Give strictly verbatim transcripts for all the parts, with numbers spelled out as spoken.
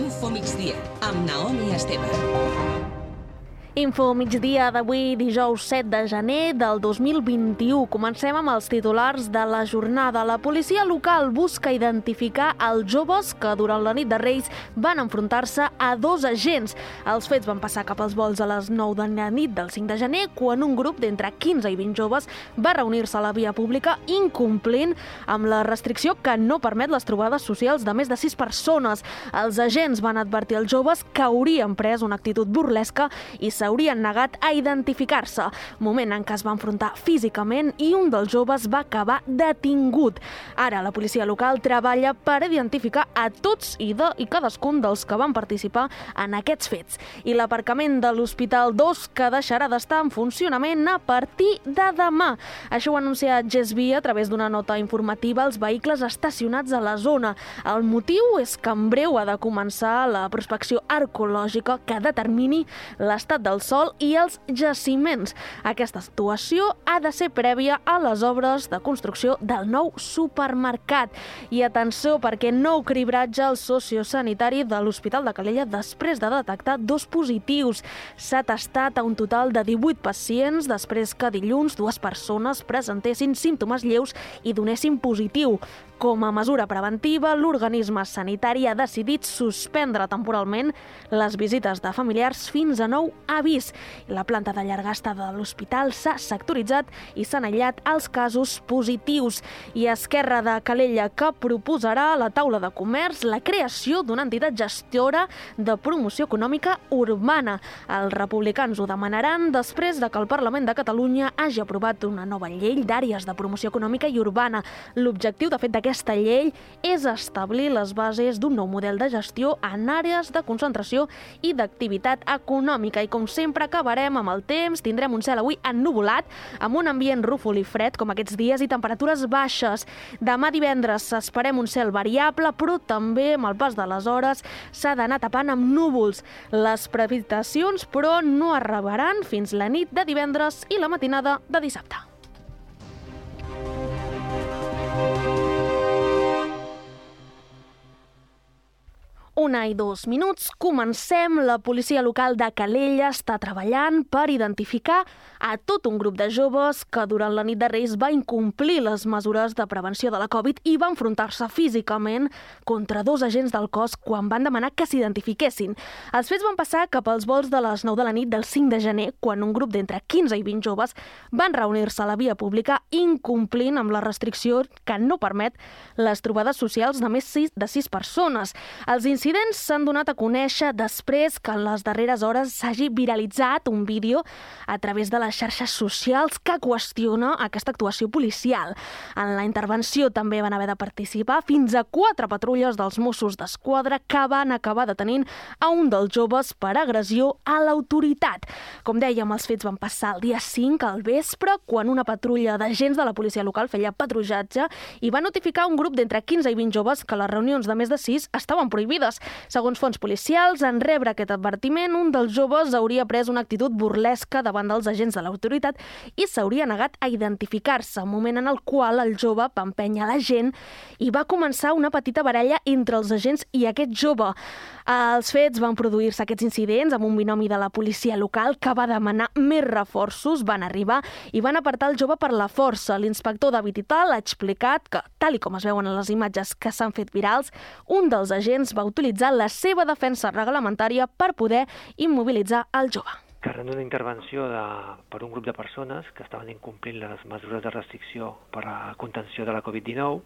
Info Migdia, amb Naomi Esteve. Info Migdia d'avui, dijous set de gener del dos mil vint-i-u. Comencem amb els titulars de la jornada. La policia local busca identificar els joves que durant la nit de Reis van enfrontar-se a dos agents. Els fets van passar cap als volts a les nou de la nit del cinc de gener, quan un grup d'entre quinze i vint joves va reunir-se a la via pública incomplint amb la restricció que no permet les trobades socials de més de sis persones. Els agents van advertir als joves que haurien pres una actitud burlesca i s'haurien negat a identificar-se, moment en què es va enfrontar físicament i un dels joves va acabar detingut. Ara la policia local treballa per identificar a tots i de i cadascun dels que van participar en aquests fets. I l'aparcament de l'Hospital dos que deixarà d'estar en funcionament a partir de demà. Això ho ha anunciat Gesvia a través d'una nota informativa als vehicles estacionats a la zona. El motiu és que en breu ha de començar la prospecció arqueològica que determini l'estat del sòl i els jaciments. Aquesta actuació ha de ser prèvia a les obres de construcció del nou supermercat. I atenció, perquè nou cribratge al sociosanitari de l'Hospital de Calella després de detectar dos positius. S'ha testat a un total de divuit pacients després que dilluns dues persones presentessin símptomes lleus i donessin positiu. Com a mesura preventiva, l'organisme sanitari ha decidit suspendre temporalment les visites de familiars fins a nou avís. La planta de llarga estada de l'hospital s'ha sectoritzat i s'han aïllat els casos positius. I Esquerra de Calella, que proposarà a la taula de comerç la creació d'una entitat gestora de promoció econòmica urbana. Els republicans ho demanaran després de que el Parlament de Catalunya hagi aprovat una nova llei d'àrees de promoció econòmica i urbana. L'objectiu, de fet, d'aquesta Aquesta llei és establir les bases d'un nou model de gestió en àrees de concentració i d'activitat econòmica. I com sempre acabarem amb el temps, tindrem un cel avui ennuvolat, amb un ambient rúfol i fred com aquests dies i temperatures baixes. Demà divendres esperem un cel variable, però també amb el pas de les hores s'ha d'anar tapant amb núvols. Les precipitacions, però, no arribaran fins la nit de divendres i la matinada de dissabte. Una i dos minuts, comencem. La policia local de Calella està treballant per identificar a tot un grup de joves que durant la nit de Reis va incomplir les mesures de prevenció de la Covid i va enfrontar-se físicament contra dos agents del cos quan van demanar que s'identifiquessin. Els fets van passar cap als volts de les nou de la nit del cinc de gener, quan un grup d'entre quinze i vint joves van reunir-se a la via pública incomplint amb la restricció que no permet les trobades socials de més de sis persones. Els incidents s'han donat a conèixer després que en les darreres hores s'hagi viralitzat un vídeo a través de les xarxes socials que qüestiona aquesta actuació policial. En la intervenció també van haver de participar fins a quatre patrulles dels Mossos d'Esquadra que van acabar detenint a un dels joves per agressió a l'autoritat. Com dèiem, els fets van passar el dia cinc al vespre, quan una patrulla d'agents de la policia local feia patrullatge i va notificar a un grup d'entre quinze i vint joves que les reunions de més de sis estaven prohibides. Segons fonts policials, en rebre aquest advertiment, un dels joves hauria pres una actitud burlesca davant dels agents de l'autoritat i s'hauria negat a identificar-se, moment en el qual el jove va empènyer la gent i va començar una petita baralla entre els agents i aquest jove. Els fets van produir-se aquests incidents amb un binomi de la policia local que va demanar més reforços, van arribar i van apartar el jove per la força. L'inspector David Ital ha explicat que, tal i com es veuen en les imatges que s'han fet virals, un dels agents va utilitzar la seva defensa reglamentària per poder immobilitzar el jove. Arran d'una intervenció de, per un grup de persones que estaven incomplint les mesures de restricció per a contenció de la Covid dinou,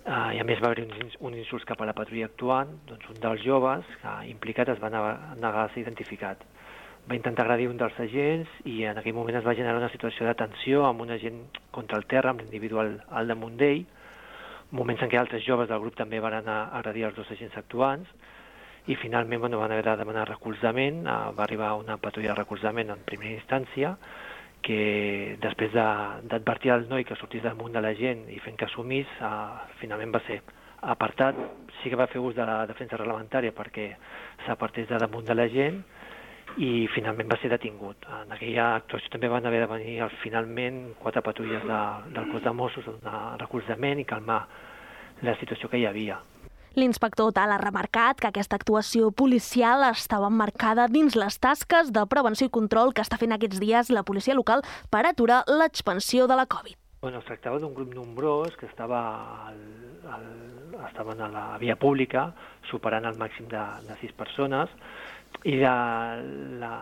eh, i a més va haver un, un insult cap a la patrulla actuant, doncs un dels joves eh, implicat es va negar a ser identificat. Va intentar agredir un dels agents i en aquell moment es va generar una situació de tensió amb un agent contra el terra, amb l'individual al damunt d'ell, moments en què altres joves del grup també van anar a agredir els dos agents actuants, i finalment bueno, van haver de demanar recolzament. Uh, va arribar una patrulla de recolzament en primera instància, que després d'advertir al noi que sortís damunt de la gent i fent que assumís, uh, finalment va ser apartat. Sí que va fer ús de la defensa reglamentària perquè s'apartés de damunt de la gent i finalment va ser detingut. En aquella actuació també van haver de venir finalment quatre patrulles de, del cos de Mossos a donar recolzament i calmar la situació que hi havia. L'inspector Tal ha remarcat que aquesta actuació policial estava emmarcada dins les tasques de prevenció i control que està fent aquests dies la policia local per aturar l'expansió de la Covid. Bueno, es tractava d'un grup nombrós que estava al, al, estaven a la via pública, superant el màxim de, de sis persones, i la, la,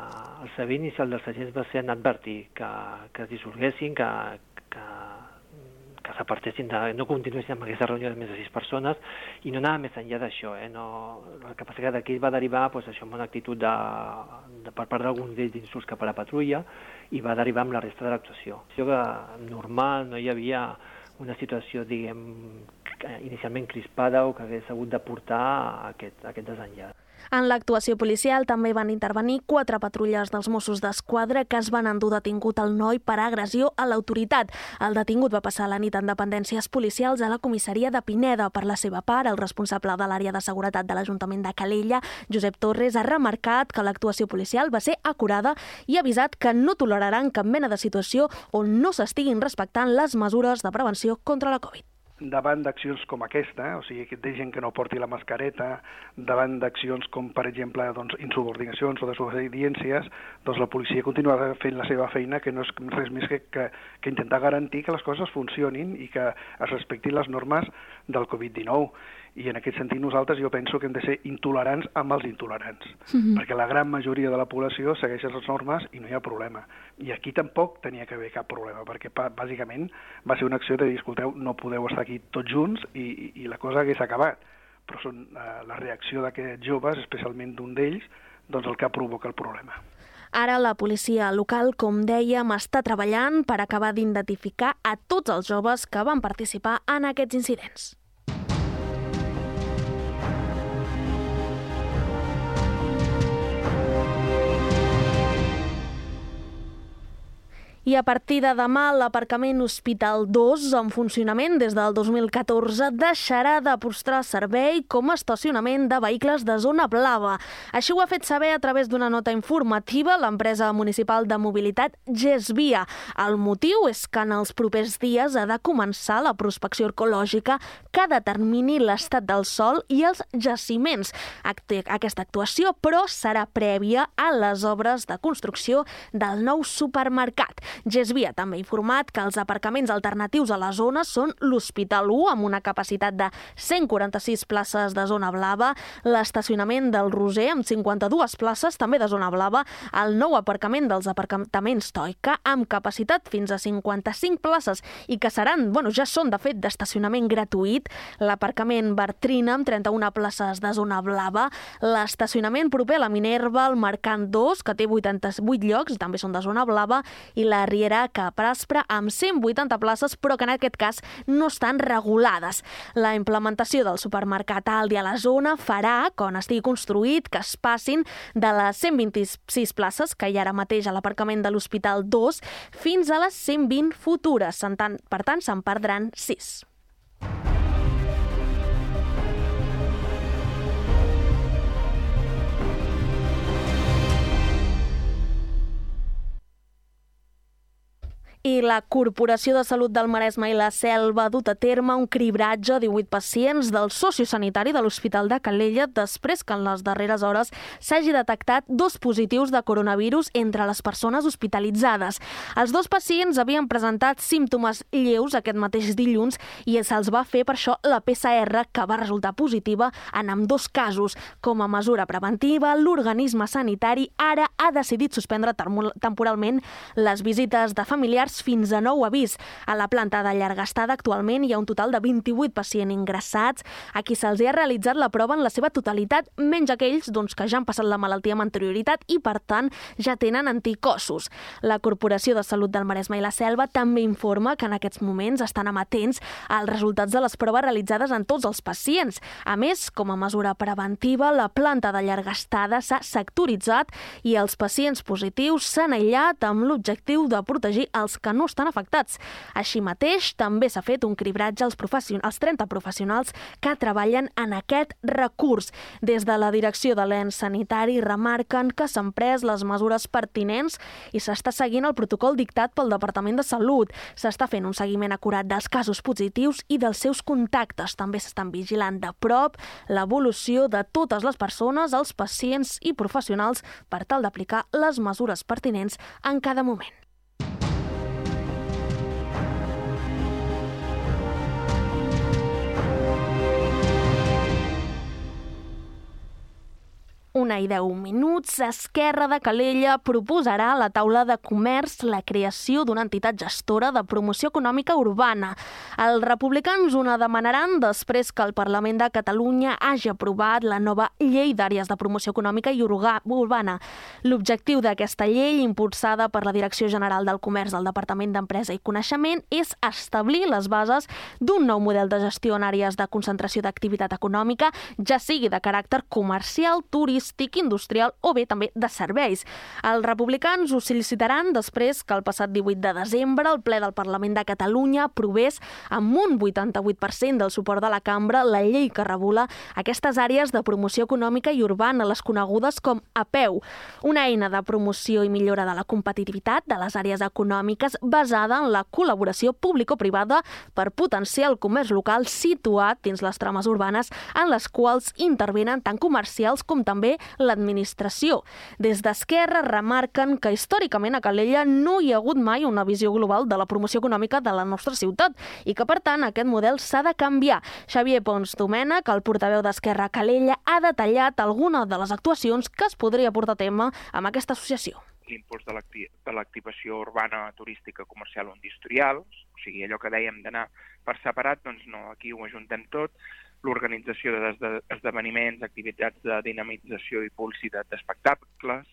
el saber inicial dels agents va ser en advertir que, que es dissolguessin, que, que que s'apartessin, de, no continuessin amb aquesta reunió de més de sis persones, i no anava més enllà d'això. Eh? No, el que passa que d'aquí va derivar pues, això, amb una actitud de, de, per part d'alguns d'ells d'insults cap a la patrulla, i va derivar amb la resta de l'actuació. Això que normal, no hi havia una situació, diguem, inicialment crispada o que hagués hagut de portar a aquest, a aquest desenllaç. En l'actuació policial també van intervenir quatre patrulles dels Mossos d'Esquadra que es van endur detingut el noi per agressió a l'autoritat. El detingut va passar la nit en dependències policials a la comissaria de Pineda. Per la seva part, el responsable de l'àrea de seguretat de l'Ajuntament de Calella, Josep Torres, ha remarcat que l'actuació policial va ser acurada i ha avisat que no toleraran cap mena de situació on no s'estiguin respectant les mesures de prevenció contra la Covid. Davant d'accions com aquesta, o sigui, de gent que no porti la mascareta, davant d'accions com, per exemple, doncs, insubordinacions o desobediències, doncs la policia continuarà fent la seva feina, que no és res més que, que, que intentar garantir que les coses funcionin i que es respectin les normes del covid dinou. I en aquest sentit nosaltres jo penso que hem de ser intolerants amb els intolerants, mm-hmm. perquè la gran majoria de la població segueix les normes i no hi ha problema. I aquí tampoc tenia que haver cap problema, perquè bàsicament va ser una acció de dir, escolteu, no podeu estar aquí tots junts i, i, i la cosa hagués acabat. Però són eh, la reacció d'aquests joves, especialment d'un d'ells, doncs el que provoca el problema. Ara la policia local, com dèiem, està treballant per acabar d'identificar a tots els joves que van participar en aquests incidents. I a partir de demà, l'aparcament Hospital dos, en funcionament des del dos mil catorze, deixarà de prestar servei com a estacionament de vehicles de zona blava. Així ho ha fet saber a través d'una nota informativa l'empresa municipal de mobilitat Gesvia. El motiu és que en els propers dies ha de començar la prospecció arqueològica que determini l'estat del sòl i els jaciments. Aquesta actuació, però, serà prèvia a les obres de construcció del nou supermercat. Gesvia també ha informat que els aparcaments alternatius a la zona són l'Hospital u, amb una capacitat de cent quaranta-sis places de zona blava, l'estacionament del Roser, amb cinquanta-dues places, també de zona blava, el nou aparcament dels aparcaments Toica, amb capacitat fins a cinquanta-cinc places i que seran, bueno, ja són, de fet, d'estacionament gratuït, l'aparcament Bartrina, amb trenta-una places de zona blava, l'estacionament proper a la Minerva, el Mercant dos, que té vuitanta-vuit llocs, també són de zona blava, i la Riera Cap Aspre amb cent vuitanta places, però que en aquest cas no estan regulades. La implementació del supermercat Aldi a la zona farà, quan estigui construït, que es passin de les cent vint-i-sis places que hi ha ara mateix a l'aparcament de l'Hospital dos fins a les cent vint futures. Per tant, se'n perdran sis. I la Corporació de Salut del Maresme i la Selva ha dut a terme un cribratge a divuit pacients del sociosanitari de l'Hospital de Calella després que en les darreres hores s'hagi detectat dos positius de coronavirus entre les persones hospitalitzades. Els dos pacients havien presentat símptomes lleus aquest mateix dilluns i se'ls va fer per això la P C R, que va resultar positiva en ambdós casos. Com a mesura preventiva, l'organisme sanitari ara ha decidit suspendre temporalment les visites de familiars fins a nou avís. A la planta de llarga estada actualment hi ha un total de vint-i-vuit pacients ingressats a qui se'ls ha realitzat la prova en la seva totalitat, menys aquells doncs, que ja han passat la malaltia amb anterioritat i, per tant, ja tenen anticossos. La Corporació de Salut del Maresme i la Selva també informa que en aquests moments estan amatents als resultats de les proves realitzades en tots els pacients. A més, com a mesura preventiva, la planta de llarga estada s'ha sectoritzat i els pacients positius s'han aïllat amb l'objectiu de protegir els que no estan afectats. Així mateix, també s'ha fet un cribratge als, als trenta professionals que treballen en aquest recurs. Des de la direcció de l'ens sanitari remarquen que s'han pres les mesures pertinents i s'està seguint el protocol dictat pel Departament de Salut. S'està fent un seguiment acurat dels casos positius i dels seus contactes. També s'estan vigilant de prop l'evolució de totes les persones, els pacients i professionals per tal d'aplicar les mesures pertinents en cada moment. Una i deu minuts, Esquerra de Calella proposarà a la taula de comerç la creació d'una entitat gestora de promoció econòmica urbana. Els republicans una demanaran després que el Parlament de Catalunya hagi aprovat la nova llei d'àrees de promoció econòmica i urbana. L'objectiu d'aquesta llei, impulsada per la Direcció General del Comerç del Departament d'Empresa i Coneixement, és establir les bases d'un nou model de gestió en àrees de concentració d'activitat econòmica, ja sigui de caràcter comercial, turístic, industrial o bé també de serveis. Els republicans ho sol·licitaran després que el passat divuit de desembre el ple del Parlament de Catalunya aprovés amb un vuitanta-vuit per cent del suport de la cambra la llei que regula aquestes àrees de promoció econòmica i urbana, les conegudes com A P E U, una eina de promoció i millora de la competitivitat de les àrees econòmiques basada en la col·laboració público-privada per potenciar el comerç local situat dins les trames urbanes en les quals intervenen tant comercials com també l'administració. Des d'Esquerra remarquen que històricament a Calella no hi ha hagut mai una visió global de la promoció econòmica de la nostra ciutat i que, per tant, aquest model s'ha de canviar. Xavier Pons Domènech, el portaveu d'Esquerra a Calella, ha detallat alguna de les actuacions que es podria portar a terme amb aquesta associació. L'impuls de l'activació urbana, turística, comercial o industrial, o sigui, allò que dèiem d'anar per separat, doncs no, aquí ho ajuntem tot, l'organització d'esdeveniments, activitats de dinamització i publicitat d'espectacles,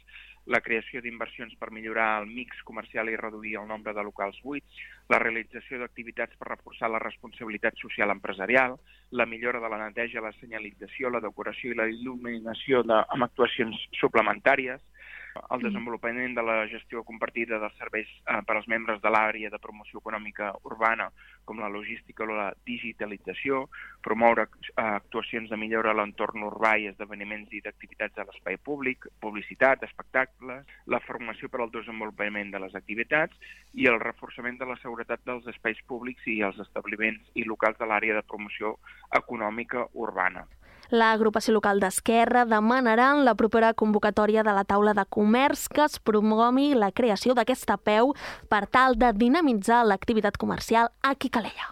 la creació d'inversions per millorar el mix comercial i reduir el nombre de locals buits, la realització d'activitats per reforçar la responsabilitat social empresarial, la millora de la neteja, la senyalització, la decoració i la il·luminació de, amb actuacions suplementàries, el desenvolupament de la gestió compartida dels serveis eh, per als membres de l'àrea de promoció econòmica urbana, com la logística o la digitalització, promoure eh, actuacions de millora a l'entorn urbà i esdeveniments i d'activitats a l'espai públic, publicitat, espectacles, la formació per al desenvolupament de les activitats i el reforçament de la seguretat dels espais públics i els establiments i locals de l'àrea de promoció econòmica urbana. L'agrupació local d'Esquerra demanarà en la propera convocatòria de la taula de comerç que es promogui la creació d'aquesta A P E U per tal de dinamitzar l'activitat comercial aquí a Calella.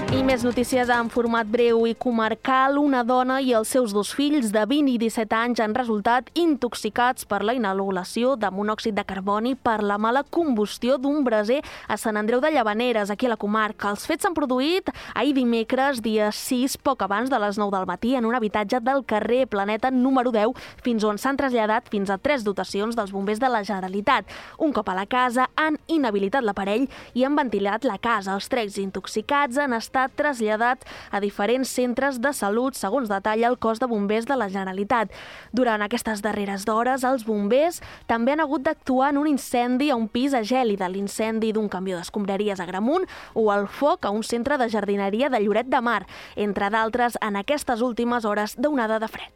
I més notícies en format breu i comarcal. Una dona i els seus dos fills de vint i disset anys han resultat intoxicats per la inhalació de monòxid de carboni per la mala combustió d'un braser a Sant Andreu de Llavaneres, aquí a la comarca. Els fets s'han produït ahir dimecres, dia sis, poc abans de les nou del matí, en un habitatge del carrer Planeta número deu, fins on s'han traslladat fins a tres dotacions dels bombers de la Generalitat. Un cop a la casa han inhabilitat l'aparell i han ventilat la casa. Els tres intoxicats han estat traslladat a diferents centres de salut, segons detalla el cos de bombers de la Generalitat. Durant aquestes darreres hores, els bombers també han hagut d'actuar en un incendi a un pis a Gèlida, l'incendi d'un camió d'escombraries a Gramunt o el foc a un centre de jardineria de Lloret de Mar, entre d'altres en aquestes últimes hores d'onada de fred.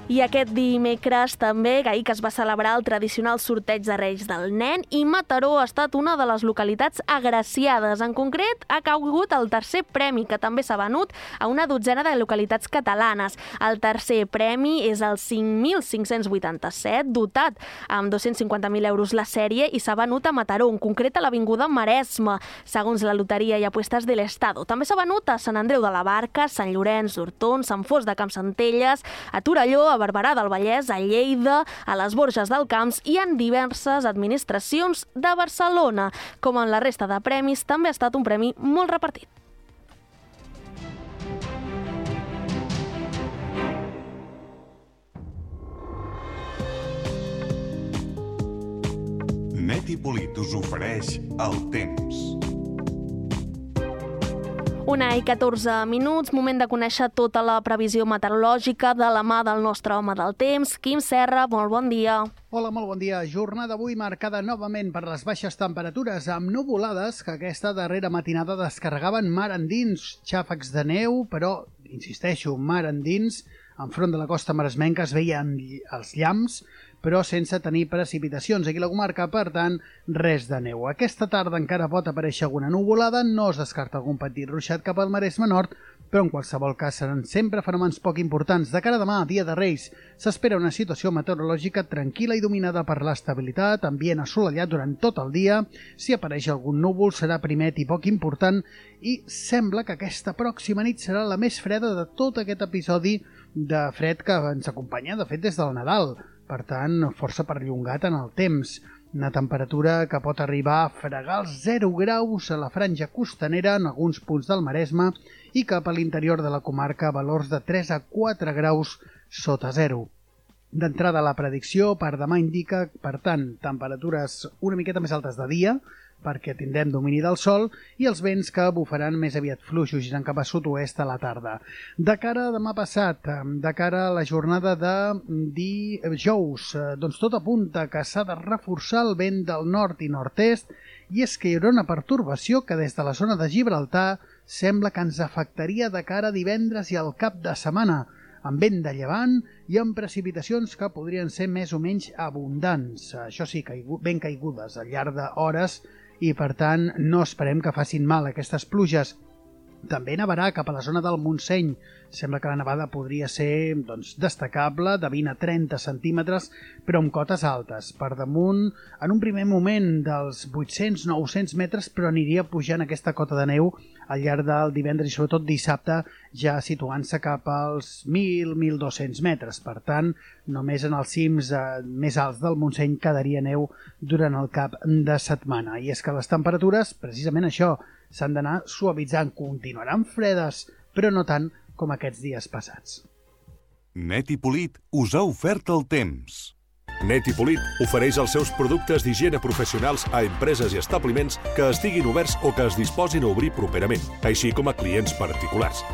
I aquest dimecres també, ahir que es va celebrar el tradicional sorteig de Reis del Nen, i Mataró ha estat una de les localitats agraciades. En concret, ha caigut el tercer premi, que també s'ha venut a una dotzena de localitats catalanes. El tercer premi és el cinc mil cinc-cents vuitanta-set, dotat amb dos-cents cinquanta mil euros la sèrie, i s'ha venut a Mataró, en concret a l'Avinguda Maresme, segons la Loteria i Apuestes de l'Estado. També s'ha venut a Sant Andreu de la Barca, Sant Llorenç d'Hortons, Sant Fost de Campsentelles, a Torelló, a Barberà del Vallès, a Lleida, a les Borges del Camps i en diverses administracions de Barcelona. Com en la resta de premis, també ha estat un premi molt repartit. Net i Polit us ofereix el temps. Una i catorze minuts, moment de conèixer tota la previsió meteorològica de la mà del nostre home del temps. Quim Serra, molt bon dia. Hola, molt bon dia. Jornada avui marcada novament per les baixes temperatures amb nuvolades que aquesta darrera matinada descarregaven mar endins, xàfecs de neu, però, insisteixo, mar endins. Enfront de la costa maresmenca es veien els llamps, però sense tenir precipitacions. Aquí a la comarca, per tant, res de neu. Aquesta tarda encara pot aparèixer alguna nuvolada, no es descarta algun petit ruixat cap al Maresme Nord, però en qualsevol cas seran sempre fenòmens poc importants. De cara a demà, dia de Reis, s'espera una situació meteorològica tranquil·la i dominada per l'estabilitat, ambient assolellat durant tot el dia. Si apareix algun núvol serà primet i poc important i sembla que aquesta pròxima nit serà la més freda de tot aquest episodi de fred que ens acompanya, de fet, des del Nadal. Per tant, força perllongat en el temps. Una temperatura que pot arribar a fregar els zero graus a la franja costanera en alguns punts del Maresme i cap a l'interior de la comarca valors de tres a quatre graus sota zero. D'entrada, la predicció per demà indica, per tant, temperatures una miqueta més altes de dia, perquè tindrem domini del sol, i els vents que bufaran més aviat fluixos, girant cap a sud-oest a la tarda. De cara a demà passat, de cara a la jornada de dijous, doncs tot apunta que s'ha de reforçar el vent del nord i nord-est, i és que hi haurà una pertorbació que des de la zona de Gibraltar sembla que ens afectaria de cara a divendres i al cap de setmana, amb vent de llevant i amb precipitacions que podrien ser més o menys abundants. Això sí, ben caigudes al llarg d'hores, i per tant no esperem que facin mal aquestes pluges. També nevarà cap a la zona del Montseny. Sembla que la nevada podria ser doncs, destacable, de vint a trenta centímetres, però amb cotes altes. Per damunt, en un primer moment dels vuit-cents a nou-cents metres, però aniria pujant aquesta cota de neu al llarg del divendres i sobretot dissabte, ja situant-se cap als mil a mil dos-cents metres. Per tant, només en els cims eh, més alts del Montseny quedaria neu durant el cap de setmana. I és que les temperatures, precisament això, s'han d'anar suavitzant. Continuaran fredes, però no tant com aquests dies passats. Net i Polit us ha ofert el temps. Net i Polit ofereix els seus productes d'higiene professionals a empreses i establiments que estiguin oberts o que es disposin a obrir properament, així com a clients particulars.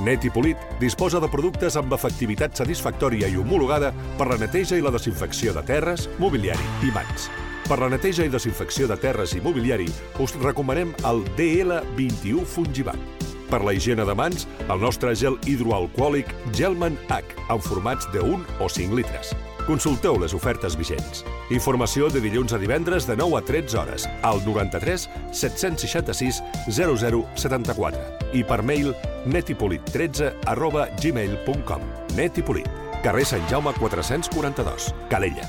Net i Polit disposa de productes amb efectivitat satisfactòria i homologada per la neteja i la desinfecció de terres, mobiliari i mans. Per la neteja i desinfecció de terres i mobiliari us recomanem el D L vint-i-u Fungibat. Per la higiene de mans, el nostre gel hidroalcohòlic Gelman H, en formats de un o cinc litres. Consulteu les ofertes vigents. Informació de dilluns a divendres de nou a tretze hores al noranta-tres set-cents seixanta-sis zero zero setanta-quatre i per mail netipolit tretze arroba gmail punt com. Net i Polit, carrer Sant Jaume quatre-cents quaranta-dos, Calella.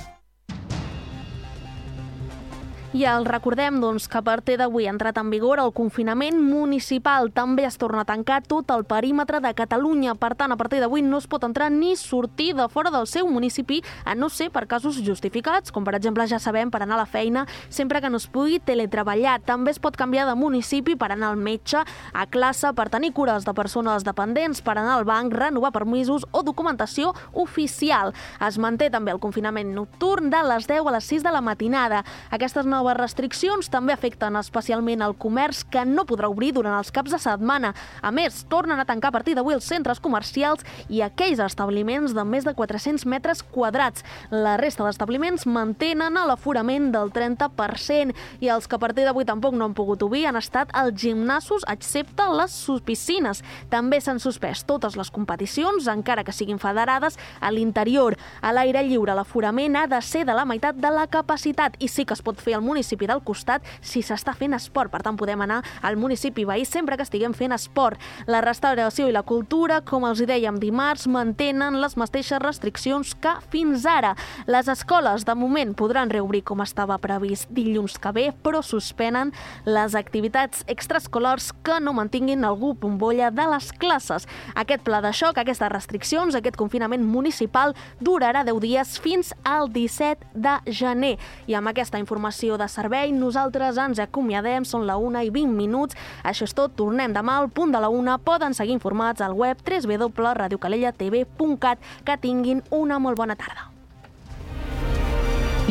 I el recordem doncs, que a partir d'avui ha entrat en vigor el confinament municipal. També es torna a tancar tot el perímetre de Catalunya. Per tant, a partir d'avui no es pot entrar ni sortir de fora del seu municipi, a no ser per casos justificats, com per exemple ja sabem per anar a la feina, sempre que no es pugui teletreballar. També es pot canviar de municipi per anar al metge, a classe, per tenir cures de persones dependents, per anar al banc, renovar permisos o documentació oficial. Es manté també el confinament nocturn de les deu a les sis de la matinada. Aquestes noves noves restriccions també afecten especialment el comerç, que no podrà obrir durant els caps de setmana. A més, tornen a tancar a partir d'avui els centres comercials i aquells establiments de més de quatre-cents metres quadrats. La resta d'establiments mantenen l'aforament del trenta per cent i els que a partir d'avui tampoc no han pogut obrir han estat els gimnasos, excepte les piscines. També s'han suspès totes les competicions, encara que siguin federades, a l'interior. A l'aire lliure l'aforament ha de ser de la meitat de la capacitat i sí que es pot fer al municipi del costat si s'està fent esport. Per tant, podem anar al municipi veí sempre que estiguem fent esport. La restauració i la cultura, com els hi dèiem dimarts, mantenen les mateixes restriccions que fins ara. Les escoles, de moment, podran reobrir com estava previst dilluns que ve, però suspenen les activitats extraescolars que no mantinguin algú bombolla de les classes. Aquest pla de xoc, aquestes restriccions, aquest confinament municipal durarà deu dies fins al disset de gener. I amb aquesta informació de servei, nosaltres ens acomiadem, són la una i vint minuts. Això és tot, tornem demà al punt de la una. Poden seguir informats al web w w w punt radio calella t v punt cat. Que tinguin una molt bona tarda.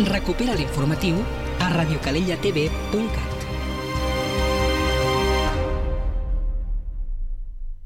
Recupera l'informatiu a radio calella t v punt cat.